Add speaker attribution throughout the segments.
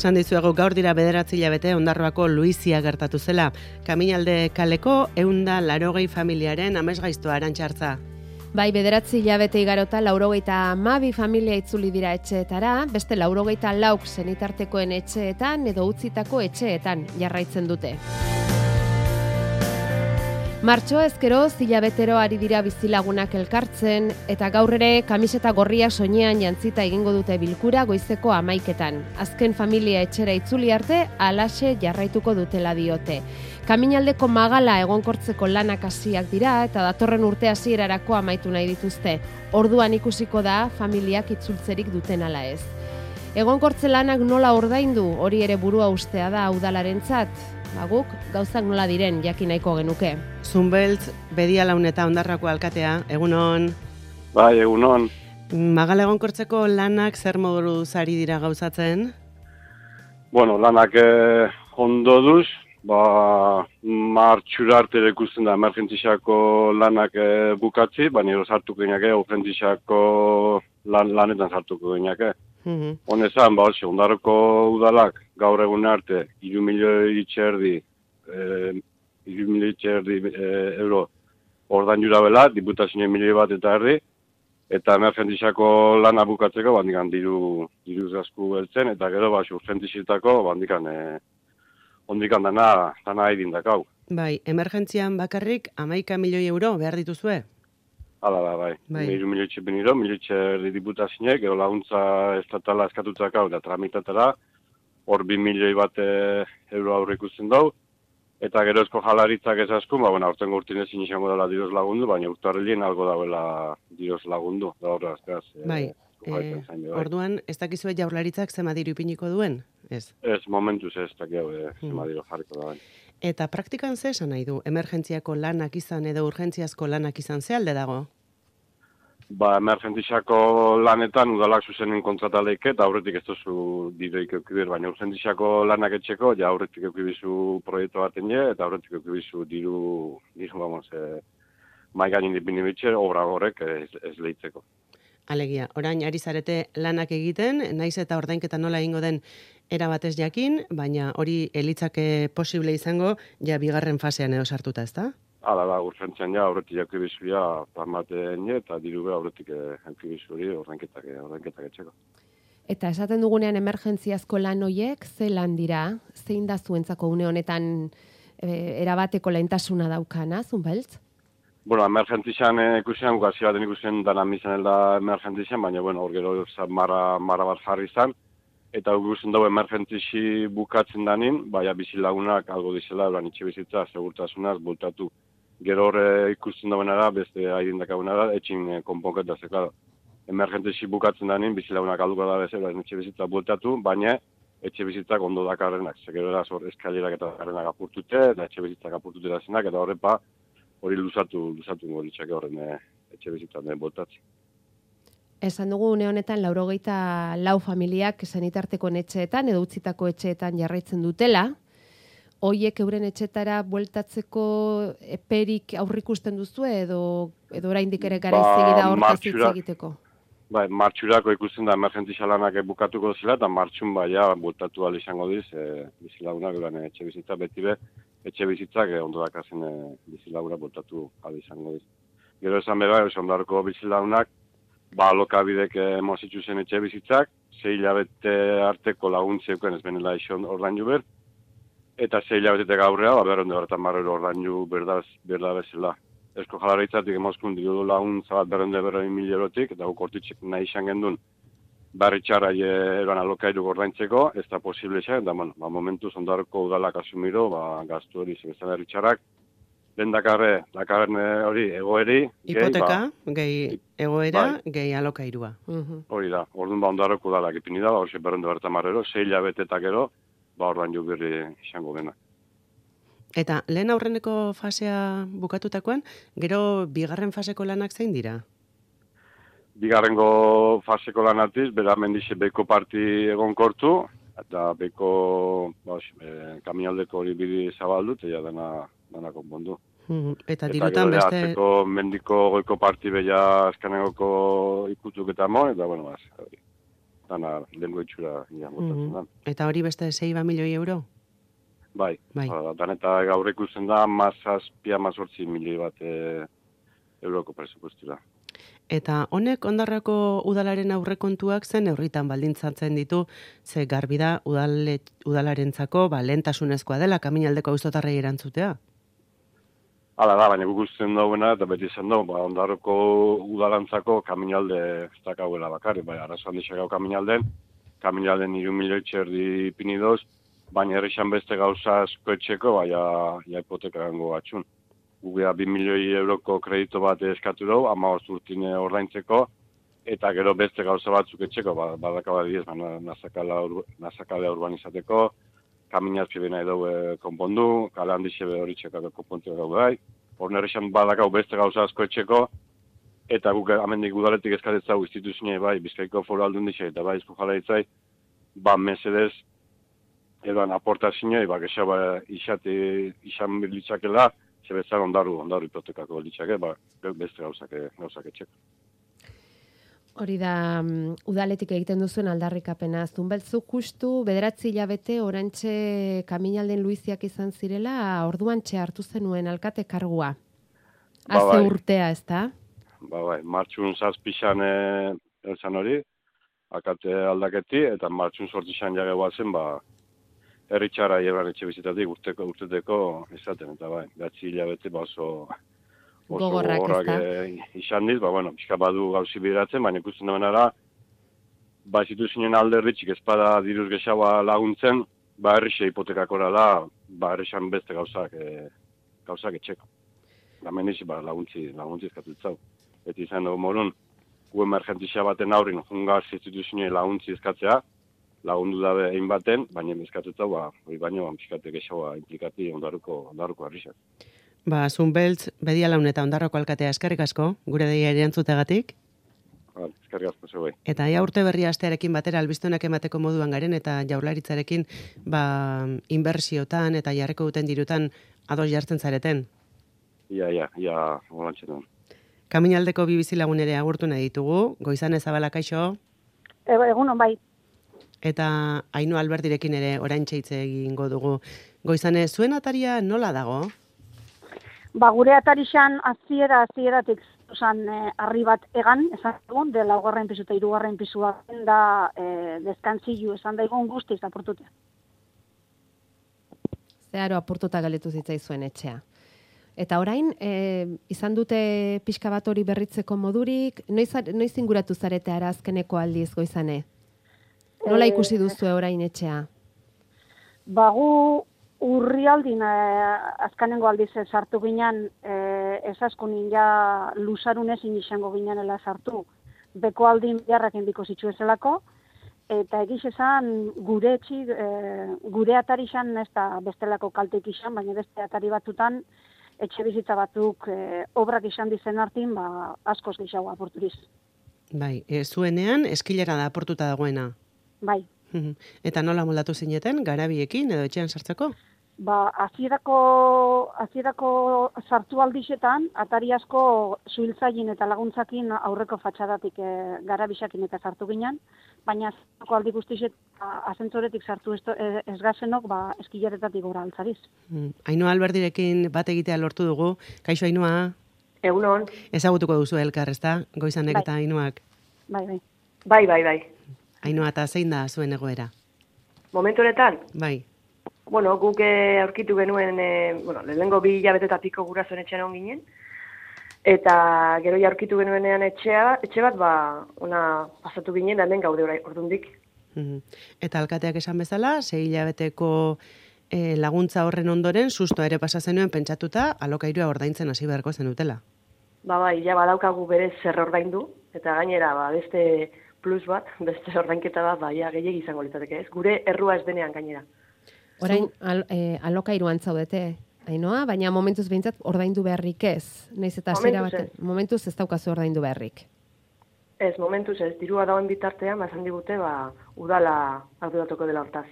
Speaker 1: Esan dizuegu gaur dira 9 hilabete Ondarroako Luizia gertatu zela. Kaminalde kaleko 180 familiaren amesgaiztoa Arantxartza.
Speaker 2: Bai, 9 hilabete igarota 92 familia itzuli dira etxeetara, beste 94 senitartekoen etxeetan edo utzitako etxeetan jarraitzen dute. Martxoa ezkero hilabetero ari dira bizilagunak elkartzen eta gaur ere kamiseta gorria soinean jantzita egingo dute bilkura goizeko 11etan. Azken familia etxera itzuli arte halaxe jarraituko dutela diote. Kaminaldeko magala egonkortzeko lanak hasiak dira eta datorren urte hasierarako amaitu nahi dituzte. Orduan ikusiko da familiak itzultzerik duten ala ez. Egonkortze lanak nola ordaindu, hori ere burua ustea da udalarentzat. Guk gauzak nola diren jakin nahiko genuke.
Speaker 1: Zunbeltz, Bedialaun eta Ondarrako alkatea, egunon.
Speaker 3: Bai, egunon.
Speaker 1: Magala egonkortzeko lanak zer moduz ari dira gauzatzen?
Speaker 3: Bueno, lanak ondo duz, martxura arte ikusten da emergentziako lanak bukatzi, baina sartuko gineake, urgentziako lanetan sartuko gineake. Honezan, Ondarroko udalak gaur egun arte 3 milioi euro ordain jura bela, diputazio 1,5 milioi eta erdi, eta emergentziako lana bukatzeko bandikan diruz gasku beltzen, eta gero urgentzietako bandikan ondikan dana haidin dakau.
Speaker 1: Bai, emergentzian bakarrik 11 milioi euro behar dituzue?
Speaker 3: Hala da, bai. 3 milioi txepeniro, milioi diputazioek, gero laguntza estatala eskatutzakau da tramitatara, hor 2 milioi bat euro aurre ikusten dau, eta gero esko jalaritzak ez askun, aurten gurtin ezin izango dela diroz lagundu, baina urtarrilien algo dauela diroz lagundu, da horre azkaz.
Speaker 1: Bai, orduan, ez dakizue jaurlaritzak zema diru ipiniko duen? Ez,
Speaker 3: momentuz ez dakiau zema diru jarriko da.
Speaker 1: Eta praktikan ze esan nahi du? Emergentziako lanak izan edo urgentziazko lanak izan ze alde dago?
Speaker 3: Emergentziako lanetan udalak zuzenen kontrataleik eta aurretik ez duzu direik eukibir, baina urgentziako lanak etxeko, ja aurretik eukibizu proiektu baten eta aurretik eukibizu diru maiganin dipini bitxe, obra horrek ez lehitzeko.
Speaker 1: Alegia, orain ari zarete lanak egiten, naiz eta ordainketa nola egingo den erabatez jakin, baina hori elitzake posible izango, ja bigarren fasean edo sartuta, ezta?
Speaker 3: Hala da, urgentzian ja, aurretik eukibizu ja, plamaten eta diru be aurretik eukibizu hori ordainketak etxeko.
Speaker 2: Eta esaten dugunean emergentziazko lan hoiek, ze lan dira? Zein da zuentzako une honetan erabateko lehentasuna daukana, Zunbeltz?
Speaker 3: Bueno, emergentzian ikusian, gazi baten ikusian dana mizan da emergentzian, baina hor gero marra bat jarri izan, eta ikusten dugu emergentzi bukatzen danin, baina bizilagunak algo dizela, eran itxe bizitza, segurtasunaz, bultatu. Gero hor ikusten duenara, beste haidindakagunara, etxin konponketa zeka. Emergentzi bukatzen danin, bizilagunak alduko da bezala, etxe bizitza bultatu, baina etxe bizitzak ondo dakarrenak. Zegero eraz hor eskalirak eta dakarrenak apurtute, eta etxe bizitzak apurtute da zenak, eta horrepa, hori luzatu ngolitzake horren etxe bizitzan botatzen.
Speaker 2: Esan dugu une honetan 94 familiak senitarteko etxeetan edo utzitako etxeetan jarraitzen dutela. Hoiek euren etxetara bueltatzeko eperik aurrikusten duzu edo oraindik ere garaiz da hortaz hitz egiteko?
Speaker 3: Bai, martxurako ikusten da emergentzia lanak bukatuko zela eta martxun baia bueltatu ahal izango diz, bizilagunak euren etxe bizitza beti be, etxe bizitzak ondo dakazen bizilaguna bueltatu ahal izango diz. Gero esan bera, Ondarroko bizilagunak, alokabidek mozitzu zen etxe bizitzak, 6 hilabete arteko laguntzeuken ez benela izan ordaindu ber, eta 6 hilabetetek aurrea, berronde horretan marrero ordaindu berda bezala. Esko jalaritzatik emozkun diru laguntza bat berronde 1,000 eurotik, eta gortitzek nahi izan gendun, barritxarra eroan alokairu ordaintzeko, ez da posible izan, eta momentuz Ondarroko udalak asumiro, gaztu hori zebezan barritxarrak, lehen dakarren hori egoeri.
Speaker 1: Hipoteka, gehi egoera, gehi alokairua.
Speaker 3: Hori da, orduan Ondarroko udalak ipini da, hori berronde bertan marrero, 6 hilabetetak ero, ordain jo berri izango dena.
Speaker 1: Eta lehen aurreneko fasea bukatutakoan, gero bigarren faseko lanak zein dira?
Speaker 3: Bigarrengo faseko lanatiz, bera mendize beko parti egonkortu, eta beko kaminaldeko hori bidi zabaldu, eta dana konpondu.
Speaker 1: Eta dirutan beste...
Speaker 3: Eta mendiko goiko parti beha azkanegoko ikutuk eta mo, eta bueno, dana lengo itxura botatzen da.
Speaker 1: Eta hori beste 6 milioi euro?
Speaker 3: Bai.
Speaker 1: Bai.
Speaker 3: Dan eta gaur ikusten da, 7,8 milioi bat euroko presupuestura.
Speaker 1: Eta honek Ondarrako udalaren aurrekontuak zen neurritan baldintzatzen ditu, ze garbi da udalarentzako lehentasunezkoa dela Kaminaldeko auzotarrei erantzutea.
Speaker 3: Hala da, baina gugusten dagoena, eta beti izan dugu, Ondarroko udalantzako Kaminalde ez dakauela bakarrik, bai, arazo handixak Kaminalden 3 milioi erdi ipini doz, baina errexan beste gauza asko etxeko, ja hipoteka gango batxun. Gugea 2 milioi euroko kredito bat eskatu dugu, 15 urtine ordaintzeko, eta gero beste gauza batzuk etxeko, badakaba diez, nazakalea urbanizateko, kaminazpi bena edo konpondu, kale handixe hori txekako konpontu dugu gai. Hor nerrexan badakau beste gauza asko etxeko, eta guk amendik udaletik eskatetzau instituzioa bai, Bizkaiko Foru Aldundixe eta bai Eusko Jaurlaritzai, mesedez, edoan aportazioa, gexaba izan litzakela, zebetzan ondaru hipotekako litzake, beste gauzak etxeko.
Speaker 2: Hori da, udaletik egiten duzuen aldarrikapena. Zunbeltzuk justu, 9 hilabete orantxe Kaminalden Luiziak izan zirela, orduan hartu zenuen alkate kargua. Haze urtea, ez da?
Speaker 3: Bai, martxun 7 elzan hori, alkate aldaketi, eta martxun 8 jage guazen, herritxara hieran etxe bizitatik urteteko esaten, eta bai, 9 hilabete oso
Speaker 2: gogorrak
Speaker 3: izan diz, pixka badu gauzi bideratzen, baina ikusten duenara, zituzinen alderritxik espada diruz gexaua laguntzen, herrixe hipotekakora da, herrixan beste gauzak etxeko. Hemen izi, laguntzi eskatutzau. Eta izan dugu morun, gu emergentizia baten aurrin, jungaz instituzioen laguntzi eskatzea, lagundu dabe egin baten, baina eskatutzau, hori baino, pixkate gexaua implikati Ondarruko herrixak.
Speaker 1: Zunbeltz, Bedialaun eta Ondarroko alkatea eskerrik asko, gure deia erantzutegatik.
Speaker 3: Eskerrik asko zeuei.
Speaker 1: Eta urte berria astearekin batera albiztunak emateko moduan garen, eta Jaurlaritzarekin inbertsiotan eta jarriko duten dirutan ados jartzen zareten.
Speaker 3: Ia, holantxe duen.
Speaker 1: Kaminaldeko bi bizilagun ere agurtu nahi ditugu, Goizane Zabala kaixo.
Speaker 4: Egunon bai.
Speaker 1: Eta Ainhoa Alberdirekin ere oraintxe hitz egingo dugu. Goizane, zuen ataria nola dago?
Speaker 4: Gure atarixan hasieratik harri bat egan, esan dugun, de 4. pisu eta 3. pisua da deskantzilu esan daigun guztiz apurtutea.
Speaker 2: Zeharo apurtuta galetu zitzaizuen etxea. Eta orain, izan dute pixka bat hori berritzeko modurik, noiz inguratu zarete ara azkeneko aldiz, Goizane? Nola ikusi duzu orain etxea?
Speaker 4: Gu urrialdin azkanengo aldiz sartu ginen, ezaskunin ja lusarunezin izango ginenela sartu, beko aldin beharrak endiko zitzuezelako, eta egiz esan gure atarixan ez da bestelako kalteik izan, baina beste atari batzutan etxe bizitza batzuk obrak izan dizen hartin, askoz gehiago apurturiz.
Speaker 1: Bai, zuenean eskilera da aportuta dagoena.
Speaker 4: Bai.
Speaker 1: Eta nola moldatu zineten, garabiekin edo etxean sartzeko?
Speaker 4: Hasierako sartu aldixetan, atari asko zuhiltzailin eta laguntzakin aurreko fatxadatik garabisakin eta sartu ginen, baina azkeneko aldi guztixet asentzoretik sartu ez gazenok eskilaretatik gora altzariz.
Speaker 1: Ainhoa Alberdirekin bat egitea lortu dugu. Kaixo Ainhoa?
Speaker 5: Egunon.
Speaker 1: Ezagutuko duzu elkar, ezta? Goizanek eta Ainhoak?
Speaker 5: Bai.
Speaker 1: Ainhoa, eta zein da zuen egoera?
Speaker 5: Momentu honetan?
Speaker 1: Bai.
Speaker 5: Guk aurkitu genuen, lehenengo 2 hilabete eta piko gurasoen etxean on ginen, eta gero aurkitu genuenean etxe bat, ona pasatu ginen, da hemen gaude ordundik.
Speaker 1: Eta alkateak esan bezala, 6 hilabeteko laguntza horren ondoren, susto ere pasa zenuen pentsatuta, alokairua ordaintzen hasi beharko zenutela.
Speaker 5: Bai, badaukagu berez zer ordaindu, eta gainera, beste plus bat, beste ordainketa bat, gehiegi izango litzateke ez. Gure errua ez denean gainera.
Speaker 2: Orain alokairuan zaudete, Ainhoa, baina momentuz behintzat ordaindu beharrik ez. Naiz eta momentuz ez daukazu ordaindu beharrik.
Speaker 5: Ez, momentuz ez, dirua dagoen bitartean, esan digute, udala arduratuko dela hortaz.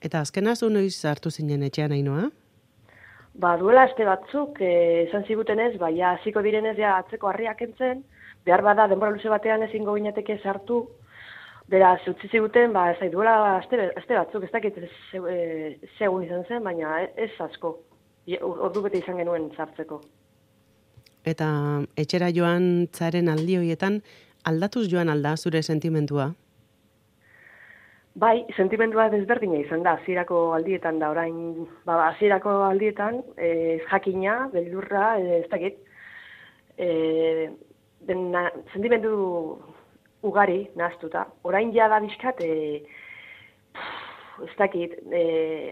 Speaker 1: Eta azkena zu noiz hartu zinen etxean, Ainhoa?
Speaker 5: Duela aste batzuk, esan zigutenez, hasiko direnez atzeko harriak entzen, behar bada denbora luze batean ezingo ginateke sartu, Beraz, utzi ziguten, ez da, duela aste batzuk, ez dakit segun izan zen, baina ez asko. Ordu bete izan genuen sartzeko.
Speaker 1: Eta etxera joan zaren aldi horietan, aldatuz joan alda zure sentimentua?
Speaker 5: Bai, sentimentua desberdina izan da, hasierako aldietan da, orain, hasierako aldietan, jakina, beldurra, ez dakit, sentimentu ugari nahaztuta. Orain ja da bizkat, ez dakit,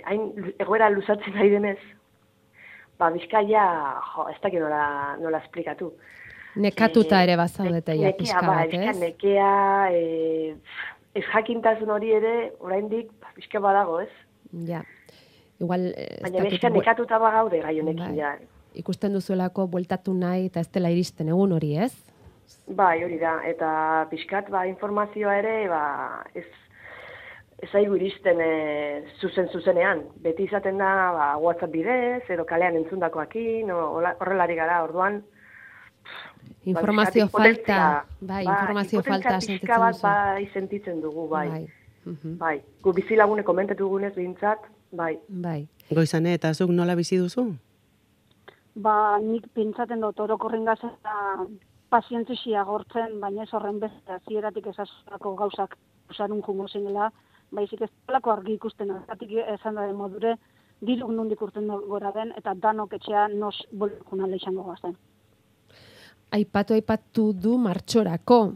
Speaker 5: hain egoera luzatzen ari denez, bizkaia, ez dakit nola esplikatu.
Speaker 2: Nekatuta ere bazaudete ja pixka bat, ez?
Speaker 5: Nekea, ez jakintasun hori ere, oraindik pixka badago, ez?
Speaker 2: Ja. Igual,
Speaker 5: baina pixka nekatuta bagaude gai honekin ja.
Speaker 2: Ikusten duzuelako bueltatu nahi eta ez dela iristen egun hori, ez?
Speaker 5: Bai, hori da. Eta pixkat informazioa ere, ez aigu iristen zuzenean. Beti izaten da WhatsApp bidez, edo kalean entzundakoakin, horrelari gara, orduan.
Speaker 2: Informazio falta, informazio falta
Speaker 5: sentitzen duzu. Bai, sentitzen dugu, bai. Bai, gu bizilagune komentatu dugunez behintzat, bai.
Speaker 1: Goizane, eta zuk nola bizi duzu?
Speaker 4: Nik pentsaten dut orokorren gazeta pazientzia gortzen, baina ez horren bezala zieratik esazako gauzak usarun jungo zenela, baizik ez dalako argi ikusten, azatik esan da modure, diruk nondik urten gora den, eta danok etxea nos bolkunale izango gazten.
Speaker 2: Aipatu du martxorako,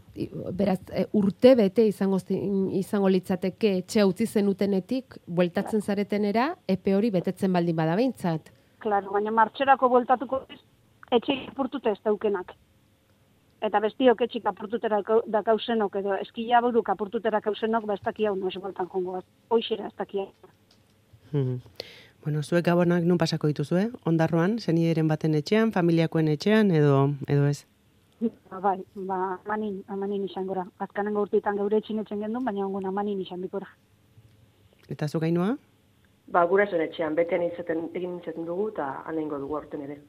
Speaker 2: beraz, urte bete izango litzateke etxea utzi zenutenetik, bueltatzen zaretenera, epe hori betetzen baldin bada behintzat.
Speaker 4: Claro, baina martxorako bueltatuko etxeik apurtute ez daukenak. Eta bestiok etxik apurtutera dakauzenok, edo eskila buruk apurtutera kauzenok, ez daki hau noiz bueltan jongo bat. Hoixera ez daki hau.
Speaker 1: Bueno, zuek gabonak nun pasako dituzue? Ondarroan, zenideren baten etxean, familiakoen etxean, edo ez?
Speaker 4: Bai, amanin izan gora. Azkanengo urteetan geure etxinetzen gendun, baina ongun amanin izan bikora.
Speaker 1: Eta zuk gainua?
Speaker 5: Gurasoen etxean, betean egin izaten dugu, eta anengo dugu aurten ere.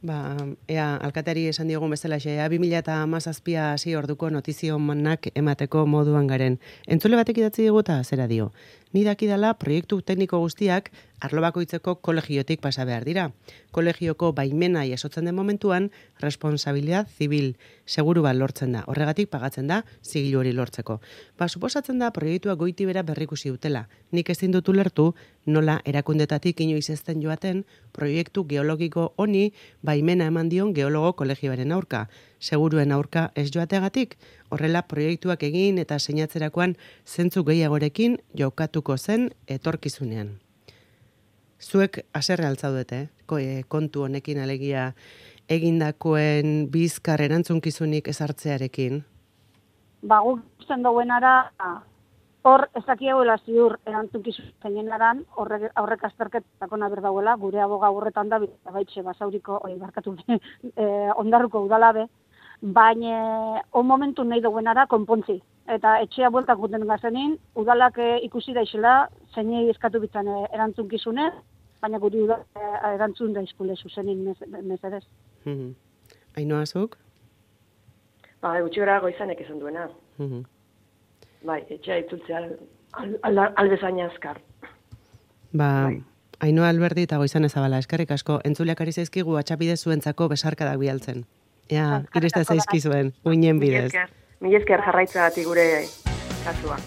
Speaker 1: Ea, alkateari esan diogun bezala xe, 2017 hasi orduko notizio manak emateko moduan garen. Entzule batek idatzi digu eta zera dio. Ni dakidala proiektu tekniko guztiak arlo bakoitzeko kolegiotik pasa behar dira. Kolegioko baimena jasotzen den momentuan, responsabilidad zibil seguru bat lortzen da. Horregatik pagatzen da zigilu hori lortzeko. Suposatzen da proiektua goiti bera berrikusi dutela. Nik ezin dut ulertu nola erakundetatik inoiz ezten joaten proiektu geologiko honi baimena eman dion geologo kolegioaren aurka. Seguruen aurka ez joategatik, horrela proiektuak egin eta seinatzerakoan zentzu gehiagorekin jokatuko zen etorkizunean. Zuek haserre altzaudete, kontu honekin alegia egindakoen bizkar erantzunkizunik ezartzearekin?
Speaker 4: Guk ikusten dauenara, hor ezakiagoela ziur erantzunkizun zenenaran, horrek azterketako naber dauela, gure aboga horretan da, baitxe basauriko, ondarruko udalabe, baina on momentu nahi dauenara konpontzi. Eta etxea bueltak guten gazenin, udalak ikusi daizela, zeinei eskatu bitzan erantzunkizune, baina guri erantzun daizkule zuzenin mesedez.
Speaker 1: Ainhoa zuk?
Speaker 5: Gutxi gara goizanek esan duena. Bai, etxea itzultzea albezaina azkar.
Speaker 1: Ainhoa Alberdi eta Goizane Zabala, eskerrik asko, entzuleak ari zaizkigu atxapide zuentzako besarkadak bialtzen. Irista zaizkizuen, uinen bidez.
Speaker 5: Mila esker jarraitzagatik gure kasua.